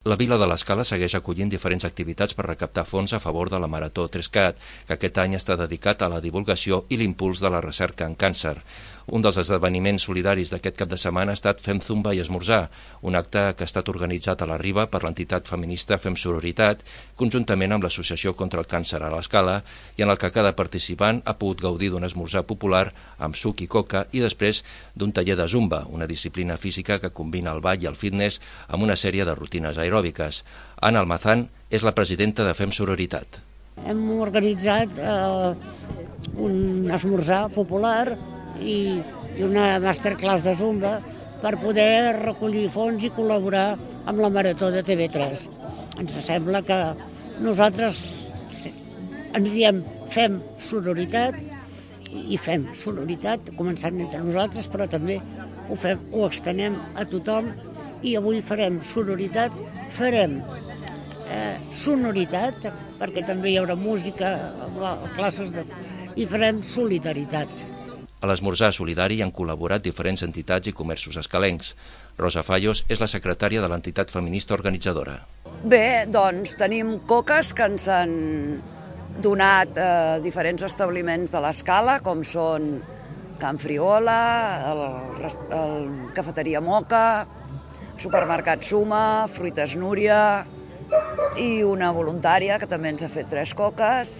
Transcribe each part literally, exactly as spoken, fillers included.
La Vila de l'Escala segueix acollint diferents activitats per recaptar fons a favor de la Marató tres cat, que aquest any està dedicat a la divulgació i l'impuls de la recerca en càncer. Un dels esdeveniments solidaris d'aquest cap de setmana ha estat Fem Zumba i Esmorzar, un acte que ha estat organitzat a la Riba per l'entitat feminista Fem Sororitat, conjuntament amb l'Associació contra el Càncer a l'Escala, i en el que cada participant ha pogut gaudir d'un esmorzar popular amb suc i coca i després d'un taller de Zumba, una disciplina física que combina el ball i el fitness amb una sèrie de rutines aeròbiques. Ana Almazán és la presidenta de Fem Sororitat. Hem organitzat eh, un esmorzar popular i, i una masterclass de Zumba per poder recollir fons i col·laborar amb la Marató de T V tres. Ens sembla que nosaltres ens diem fem sororitat i fem sororitat, començant entre nosaltres, però també ho, fem, ho extenem a tothom i avui farem sororitat, farem eh, sonoritat, perquè també hi haurà música, classes de... i farem solidaritat. A l'esmorzar solidari han col·laborat diferents entitats i comerços escalencs. Rosa Fallos és la secretària de l'entitat feminista organitzadora. Bé, doncs tenim coques que ens han donat eh, diferents establiments de l'Escala, com són Can Friola, el, el Cafeteria Moca, Supermercat Suma, Fruites Núria i una voluntària que també ens ha fet tres coques.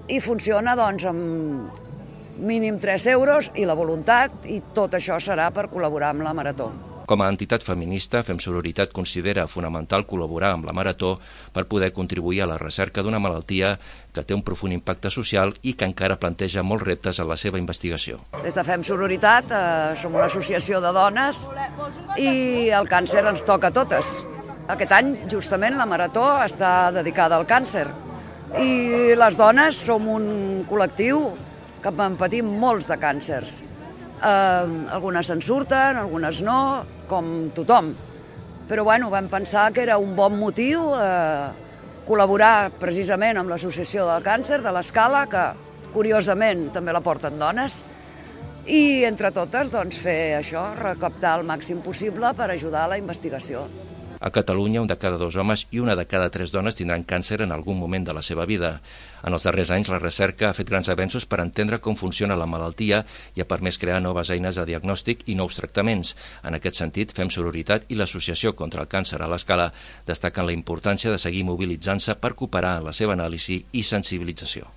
I funciona doncs amb mínim tres euros i la voluntat, i tot això serà per col·laborar amb la Marató. Com a entitat feminista, Fem Sororitat considera fonamental col·laborar amb la Marató per poder contribuir a la recerca d'una malaltia que té un profund impacte social i que encara planteja molts reptes en la seva investigació. Des de Fem Sororitat eh, som una associació de dones i el càncer ens toca a totes. Aquest any, justament, la Marató està dedicada al càncer i les dones som un col·lectiu que en patim molts de càncers. Eh, algunes se'n surten, algunes no, com tothom. Però bueno, vam pensar que era un bon motiu eh, col·laborar precisament amb l'Associació del Càncer de l'Escala, que curiosament també la porten dones, i entre totes doncs, fer això, recaptar el màxim possible per ajudar a la investigació. A Catalunya, un de cada dos homes i una de cada tres dones tindran càncer en algun moment de la seva vida. En els darrers anys, la recerca ha fet grans avenços per entendre com funciona la malaltia i ha permès crear noves eines de diagnòstic i nous tractaments. En aquest sentit, Fem Sororitat i l'Associació contra el Càncer a l'Escala destaquen la importància de seguir mobilitzant-se per cooperar en la seva anàlisi i sensibilització.